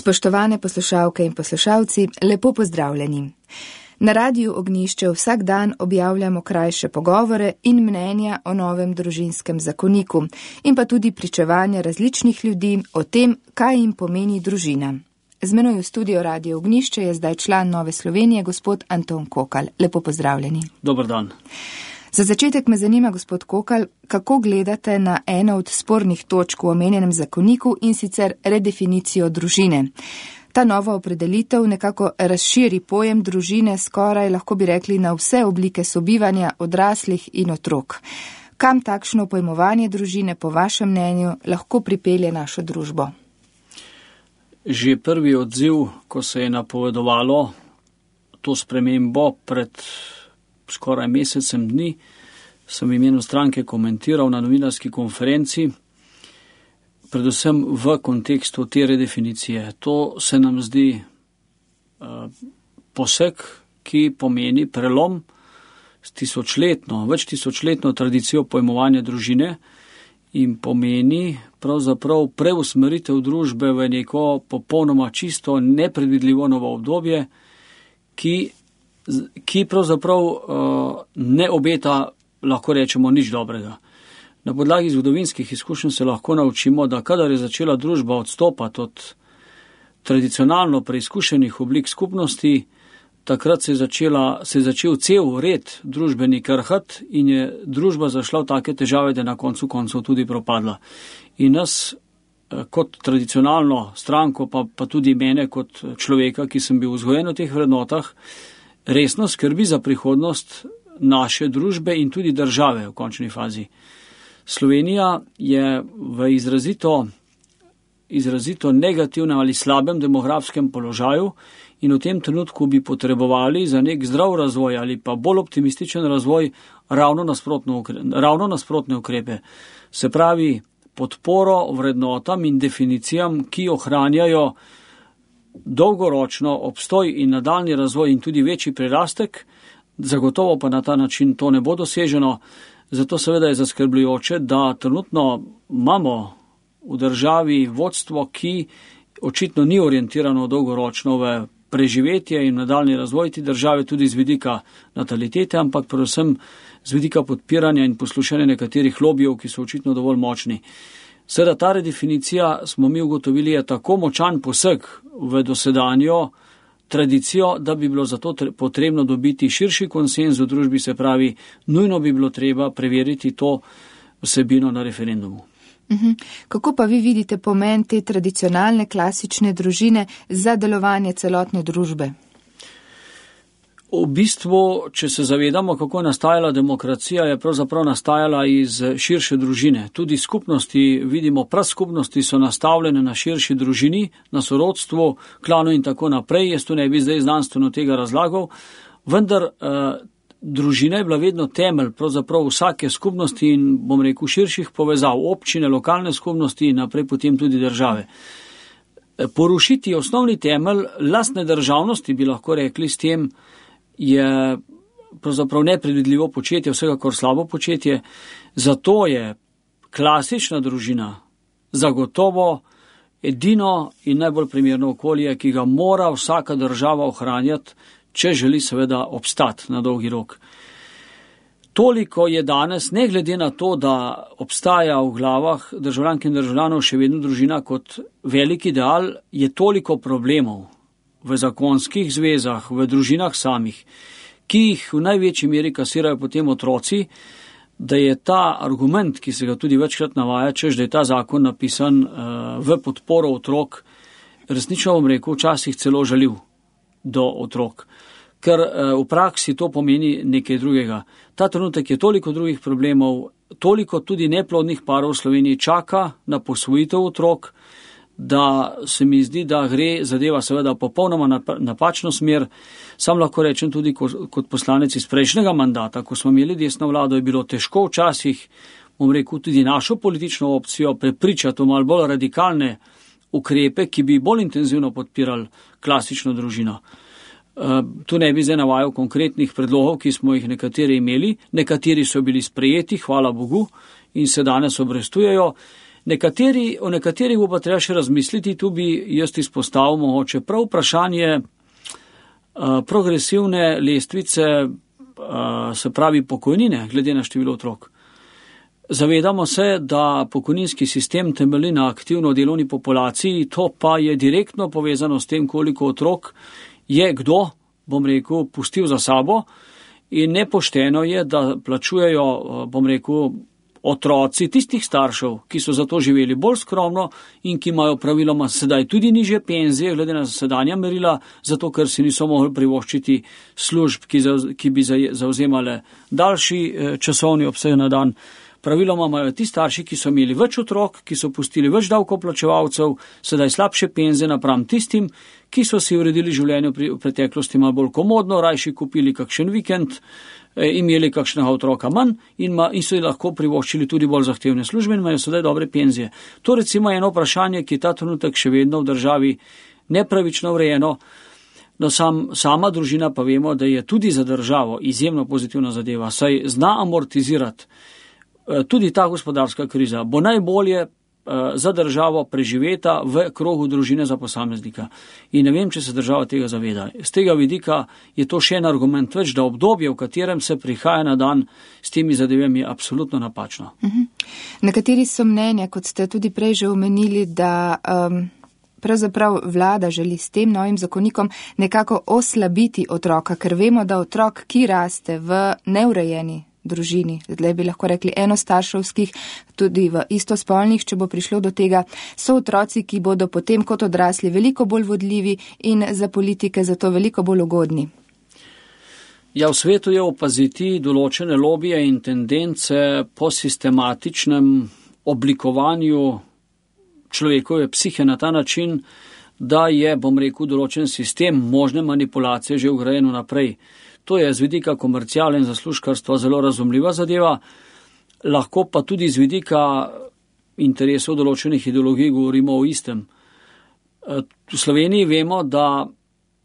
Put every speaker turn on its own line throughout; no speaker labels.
Spoštovane poslušalke in poslušalci, lepo pozdravljeni. Na Radiu Ognjišče vsak dan objavljamo krajše pogovore in mnenja o novem družinskem zakoniku in pa tudi pričevanja različnih ljudi o tem, kaj jim pomeni družina. Z menoj v studio Radio Ognjišče je zdaj član Nove Slovenije, gospod Anton Kokal. Lepo pozdravljeni.
Dober dan.
Za začetek me zanima, gospod Kokal, kako gledate na eno od spornih točk v omenjenem zakoniku in sicer redefinicijo družine. Ta nova opredelitev nekako razširi pojem družine skoraj, lahko bi rekli, na vse oblike sobivanja odraslih in otrok. Kam takšno pojmovanje družine, po vašem mnenju, lahko pripelje našo družbo?
Že prvi odziv, ko se je napovedovalo to spremembo pred skoraj mesecem dni, sem v imenu stranke komentiral na novinarski konferenci, predvsem v kontekstu te redefinicije. To se nam zdi poseg, ki pomeni prelom s več tisočletno tradicijo pojmovanja družine in pomeni pravzaprav preusmeritev družbe v neko popolnoma čisto nepredvidljivo novo obdobje, ki pravzaprav ne obeta, lahko rečemo, nič dobrega. Na podlagi zgodovinskih izkušenj se lahko naučimo, da kadar je začela družba odstopati od tradicionalno preizkušenih oblik skupnosti, takrat se je začel cel red družbeni krhati in je družba zašla v take težave, da je na koncu koncev tudi propadla. In nas kot tradicionalno stranko, pa tudi mene kot človeka, ki sem bil vzgojen v teh vrednotah, resno skrbi za prihodnost naše družbe in tudi države v končni fazi. Slovenija je v izrazito negativnem ali slabem demografskem položaju in v tem trenutku bi potrebovali za nek zdrav razvoj ali pa bolj optimističen razvoj ravno nasprotne ukrepe. Se pravi, podporo vrednotam in definicijam, ki ohranjajo dolgoročno obstoj in nadaljni razvoj in tudi večji prirastek, zagotovo pa na ta način to ne bo doseženo. Zato seveda je zaskrbljujoče, da trenutno imamo v državi vodstvo, ki očitno ni orientirano dolgoročno v preživetje in nadaljni razvoj te države, tudi z vidika natalitete, ampak predvsem z vidika podpiranja in poslušanja nekaterih lobijev, ki so očitno dovolj močni. Seveda ta redefinicija, smo mi ugotovili, je tako močan poseg v dosedanjo tradicijo, da bi bilo zato potrebno dobiti širši konsenz v družbi, se pravi, nujno bi bilo treba preveriti to vsebino na referendumu.
Kako pa vi vidite pomen te tradicionalne klasične družine za delovanje celotne družbe?
V bistvu, če se zavedamo, kako je nastajala demokracija, je pravzaprav nastajala iz širše družine. Tudi skupnosti, vidimo, praskupnosti so nastavljene na širši družini, na sorodstvu, klanu in tako naprej. Jaz tu ne bi zdaj znanstveno tega razlagal, vendar družina je bila vedno temelj pravzaprav vsake skupnosti in, bom rekel, širših povezav, občine, lokalne skupnosti in naprej potem tudi države. Porušiti osnovni temelj lastne državnosti, bi lahko rekli, s tem je pravzaprav nepredvidljivo početje, vsekakor slabo početje. Zato je klasična družina zagotovo edino in najbolj primerno okolje, ki ga mora vsaka država ohranjati, če želi seveda obstati na dolgi rok. Toliko je danes, ne glede na to, da obstaja v glavah državljank in državljanov še vedno družina kot velik ideal, je toliko problemov v zakonskih zvezah, v družinah samih, ki jih v največji meri kasirajo potem otroci, da je ta argument, ki se ga tudi večkrat navaja, češ, da je ta zakon napisan v podporo otrok, resnično bom rekel, včasih celo žaljiv do otrok. Ker v praksi to pomeni nekaj drugega. Ta trenutek je toliko drugih problemov, toliko tudi neplodnih parov v Sloveniji čaka na posvojitev otrok, da se mi zdi, da gre zadeva seveda popolnoma napačno smer. Sam lahko rečem tudi kot poslanec iz prejšnjega mandata, ko smo imeli desno vlado, je bilo težko včasih, bom rekel, tudi našo politično opcijo prepričati v malo bolj radikalne ukrepe, ki bi bolj intenzivno podpirali klasično družino. Tu ne bi zdaj navajal konkretnih predlogov, ki smo jih nekateri imeli, nekateri so bili sprejeti, hvala Bogu, in se danes obrestujejo. O nekaterih bo pa treba še razmisliti, tu bi jaz izpostavil mogoče prav vprašanje progresivne lestvice, se pravi pokojnine, glede na število otrok. Zavedamo se, da pokojninski sistem temelji na aktivno delovni populaciji, to pa je direktno povezano s tem, koliko otrok je kdo, bom rekel, pustil za sabo, in nepošteno je, da plačujejo, bom rekel, otroci tistih staršev, ki so zato živeli bolj skromno in ki imajo praviloma sedaj tudi nižje penzije, glede na sedanja merila, zato ker si niso mogli privoščiti služb, ki bi zauzemale daljši časovni obseg na dan. Praviloma imajo ti starši, ki so imeli več otrok, ki so pustili več davkoplačevalcev, sedaj slabše penzije napram tistim, ki so si uredili življenje v preteklosti malo bolj komodno, rajši kupili kakšen vikend, imeli kakšnega otroka manj in so lahko privoščili tudi bolj zahtevne službe in imajo sedaj dobre penzije. To recimo je eno vprašanje, ki je ta trenutek še vedno v državi nepravično urejeno. No, sama družina pa vemo, da je tudi za državo izjemno pozitivna zadeva, saj zna amortizirati tudi ta gospodarska kriza, bo najbolje za državo preživeta v krogu družine za posameznika. In ne vem, če se država tega zaveda. Z tega vidika je to še en argument več, da obdobje, v katerem se prihaja na dan s temi zadevami, je absolutno napačno.
Nekateri so mnenja, kot ste tudi prej že omenili, da pravzaprav vlada želi s tem novim zakonikom nekako oslabiti otroka, ker vemo, da otrok, ki raste v neurejeni družini, zdaj bi lahko rekli enostarševskih, tudi v istospolnih, če bo prišlo do tega, so otroci, ki bodo potem kot odrasli veliko bolj vodljivi in za politike zato veliko bolj ugodni.
Ja, v svetu je opaziti določene lobije in tendence po sistematičnem oblikovanju človekove psihe na ta način, da je, bom rekel, določen sistem možne manipulacije že vgrajen naprej. To je z vidika komerciale in zaslužkarstva zelo razumljiva zadeva, lahko pa tudi z vidika interesov določenih ideologij govorimo o istem. V Sloveniji vemo, da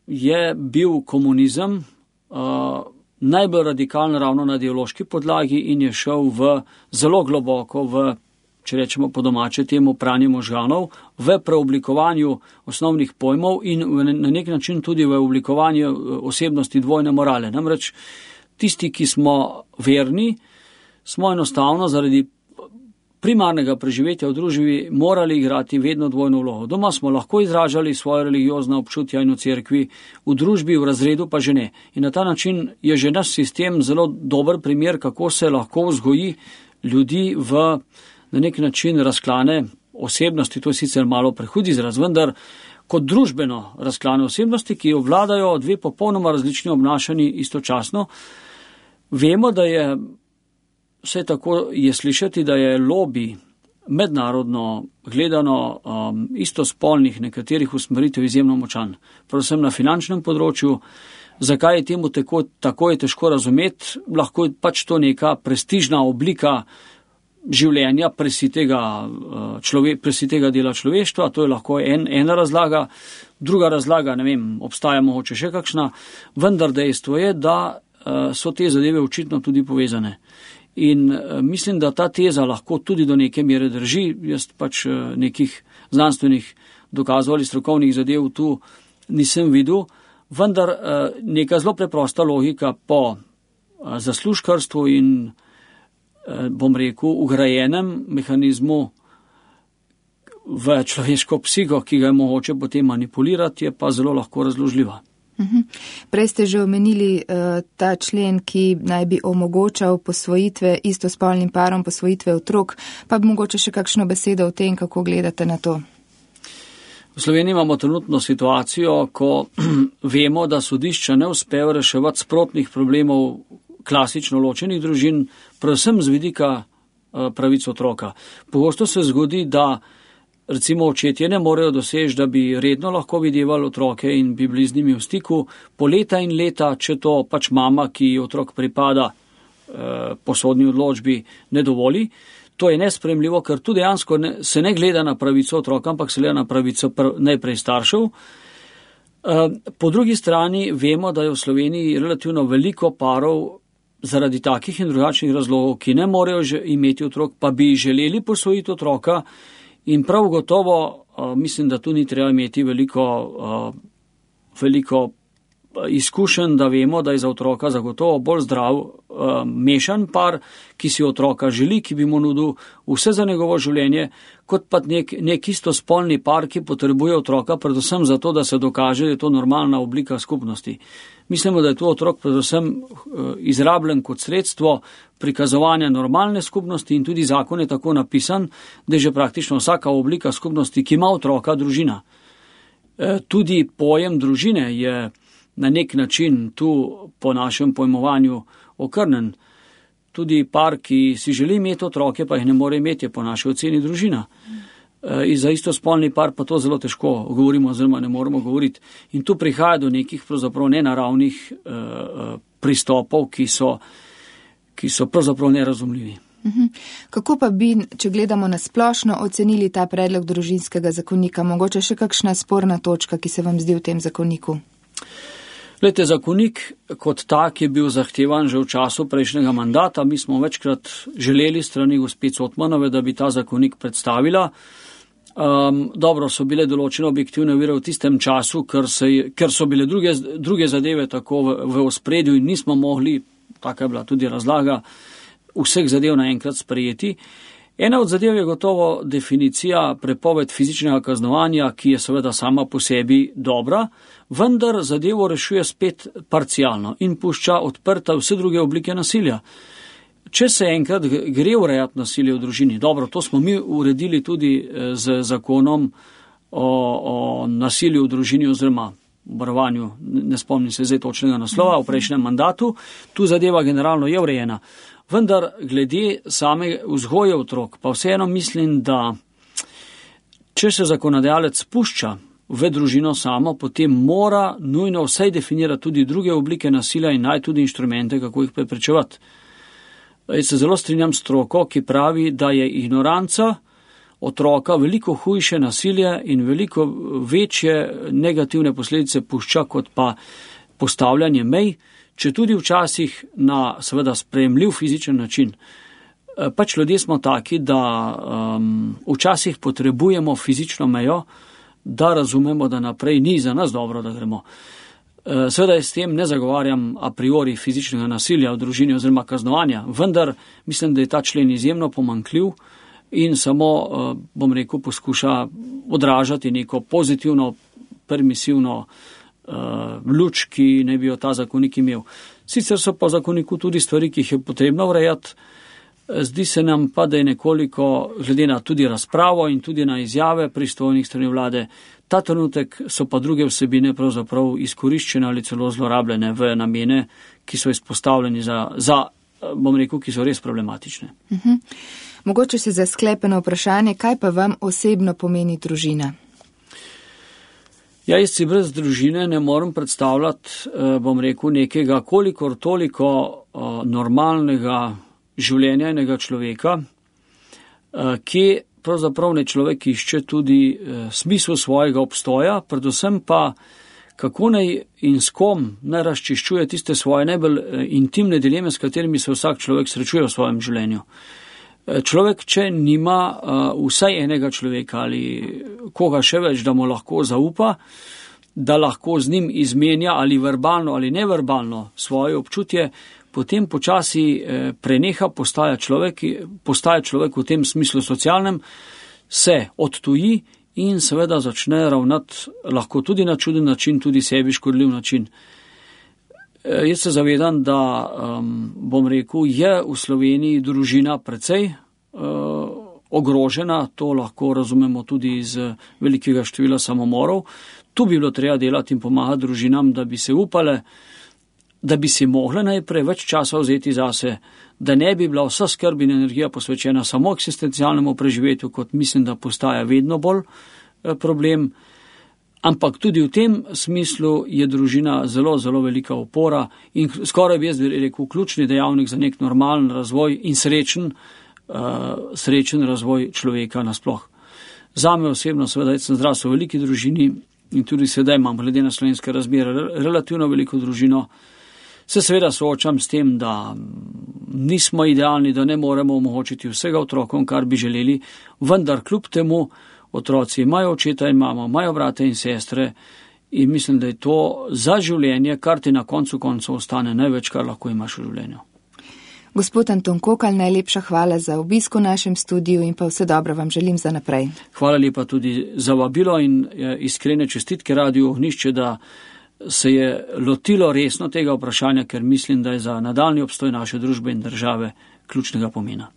je bil komunizem najbolj radikalen ravno na ideološki podlagi in je šel zelo globoko v, če rečemo po domače temu, pranje možganov, v preoblikovanju osnovnih pojmov in na nek način tudi v oblikovanju osebnosti dvojne morale. Namreč tisti, ki smo verni, smo enostavno zaradi primarnega preživetja v družbi morali igrati vedno dvojno vlogo. Doma smo lahko izražali svoje religiozna občutja in v cerkvi, v družbi, v razredu pa že ne. In na ta način je že naš sistem zelo dober primer, kako se lahko vzgoji ljudi v na nek način razklane osebnosti, to je sicer malo prehud izraz, vendar kot družbeno razklane osebnosti, ki obvladajo dve popolnoma različni obnašanji istočasno. Vemo, da je, vse tako je slišati, da je lobby mednarodno gledano istospolnih nekaterih usmeritev izjemno močan, predvsem na finančnem področju. Zakaj je temu tako je težko razumeti, lahko je pač to neka prestižna oblika življenja presitega dela človeštva, to je lahko ena razlaga, druga razlaga, ne vem, obstaja mogoče še kakšna, vendar dejstvo je, da so te zadeve očitno tudi povezane. In mislim, da ta teza lahko tudi do neke mere drži, jaz pač nekih znanstvenih dokazov ali strokovnih zadev tu nisem videl, vendar neka zelo preprosta logika po zaslužkarstvu in bom rekel, ugrajenem mehanizmu v človeško psiho, ki ga je mogoče potem manipulirati, je pa zelo lahko razložljiva.
Prej ste že omenili ta člen, ki naj bi omogočal posvojitve istospolnim parom, posvojitve otrok, pa bi mogoče še kakšno besedo o tem, kako gledate na to?
V Sloveniji imamo trenutno situacijo, ko vemo, da sodišča ne uspejo reševati sprotnih problemov klasično ločenih družin, predvsem z vidika pravic otroka. Pogosto se zgodi, da recimo očetje ne morejo doseči, da bi redno lahko videvali otroke in bi bili z njimi v stiku po leta in leta, če to pač mama, ki otrok pripada po sodni odločbi, ne dovoli. To je nesprejemljivo, ker tudi dejansko se ne gleda na pravico otroka, ampak se gleda na pravico najprej staršev. Po drugi strani vemo, da je v Sloveniji relativno veliko parov, zaradi takih in drugačnih razlogov, ki ne morejo že imeti otrok, pa bi želeli posvojiti otroka, in prav gotovo mislim, da tu ni treba imeti veliko izkušenj, da vemo, da je za otroka zagotovo bolj zdrav mešan par, ki si otroka želi, ki bi mu nudil vse za njegovo življenje, kot pa nek istospolni par, ki potrebuje otroka predvsem zato, da se dokaže, da je to normalna oblika skupnosti. Mislimo, da je tu otrok predvsem izrabljen kot sredstvo prikazovanja normalne skupnosti in tudi zakon je tako napisan, da je že praktično vsaka oblika skupnosti, ki ima otroka, družina. Tudi pojem družine je na nek način tu po našem pojmovanju okrnen. Tudi par, ki si želi imeti otroke, pa jih ne more imeti, je po naši oceni družina. In za istospolni par pa to zelo težko govorimo, oziroma ne moremo govoriti. In tu prihaja do nekih pravzaprav nenaravnih pristopov, ki so pravzaprav nerazumljivi.
Kako pa bi, če gledamo na splošno, ocenili ta predlog družinskega zakonika? Mogoče še kakšna sporna točka, ki se vam zdi v tem zakoniku?
Glejte, zakonik kot tak je bil zahtevan že v času prejšnjega mandata. Mi smo večkrat želeli strani gospe Cotmanove, da bi ta zakonik predstavila. Dobro, so bile določene objektivne ovire v tistem času, ker so bile druge zadeve tako v ospredju in nismo mogli, taka je bila tudi razlaga, vseh zadev naenkrat sprejeti. Ena od zadev je gotovo definicija prepoved fizičnega kaznovanja, ki je seveda sama po sebi dobra, vendar zadevo rešuje spet parcialno in pušča odprta vse druge oblike nasilja. Če se enkrat gre urejati nasilje v družini, dobro, to smo mi uredili tudi z zakonom o nasilju v družini oziroma varovanju, ne spomnim se zdaj točnega naslova, v prejšnjem mandatu, tu zadeva generalno je urejena. Vendar glede same vzgoje otrok, pa vseeno mislim, da če se zakonodajalec spušča v družino samo, potem mora nujno vsaj definirati tudi druge oblike nasilja in naj tudi inštrumente, kako jih preprečevati. Jaz se zelo strinjam s stroko, ki pravi, da je ignoranca otroka veliko hujše nasilje in veliko večje negativne posledice pušča kot pa postavljanje mej, če tudi včasih na seveda sprejemljiv fizičen način. Pač ljudje smo taki, da včasih potrebujemo fizično mejo, da razumemo, da naprej ni za nas dobro, da gremo. Seveda s tem ne zagovarjam a priori fizičnega nasilja v družini oziroma kaznovanja, vendar mislim, da je ta člen izjemno pomanjkljiv in samo, bom rekel, poskuša odražati neko pozitivno, permisivno luč, ki ne bi jo ta zakonik imel. Sicer so pa v zakoniku tudi stvari, ki jih je potrebno urejati. Zdi se nam pa, da je nekoliko, glede na tudi razpravo in tudi na izjave pristojnih strani vlade, ta trenutek so pa druge vsebine pravzaprav izkoriščene ali celo zlorabljene v namene, ki so izpostavljeni za bom rekel, ki so res problematične.
Mogoče se za sklepeno vprašanje, kaj pa vam osebno pomeni družina?
Jaz si brez družine ne morem predstavljati, bom rekel, nekega kolikor toliko normalnega življenja enega človeka, ki pravzaprav ne človek išče tudi smisel svojega obstoja, predvsem pa kako naj in s kom naj razčiščuje tiste svoje najbolj intimne dileme, s katerimi se vsak človek srečuje v svojem življenju. Človek, če nima vsaj enega človeka ali koga še več, da mu lahko zaupa, da lahko z njim izmenja ali verbalno ali neverbalno svoje občutje, potem počasi preneha, postaja človek v tem smislu socialnem, se odtuji in seveda začne ravnati lahko tudi na čuden način, tudi sebi škodljiv način. Jaz se zavedam, da, bom rekel, je v Sloveniji družina precej ogrožena, to lahko razumemo tudi iz velikega števila samomorov. Tu bi bilo treba delati in pomagati družinam, da bi se upale, da bi si mogle najprej več časa vzeti zase, da ne bi bila vsa skrb in energija posvečena samo eksistencialnemu preživetju, kot mislim, da postaja vedno bolj problem. Ampak tudi v tem smislu je družina zelo, zelo velika opora in skoraj bi jaz rekel ključni dejavnik za nek normalen razvoj in srečen razvoj človeka nasploh. Zame osebno, seveda, jaz sem zrasel v veliki družini in tudi sedaj imam, glede na slovenske razmere, relativno veliko družino. se seveda soočam s tem, da nismo idealni, da ne moremo omogočiti vsega otrokom, kar bi želeli, vendar kljub temu otroci imajo očeta in mamo, imajo brate in sestre in mislim, da je to za življenje, kar ti na koncu ostane največ, kar lahko imaš v življenju.
Gospod Anton Kokalj, najlepša hvala za obisk v našem studiu in pa vse dobro vam želim za naprej.
Hvala lepa tudi za vabilo in iskrene čestitke Radiu Ognjišče, da se je lotilo resno tega vprašanja, ker mislim, da je za nadaljnji obstoj naše družbe in države ključnega pomena.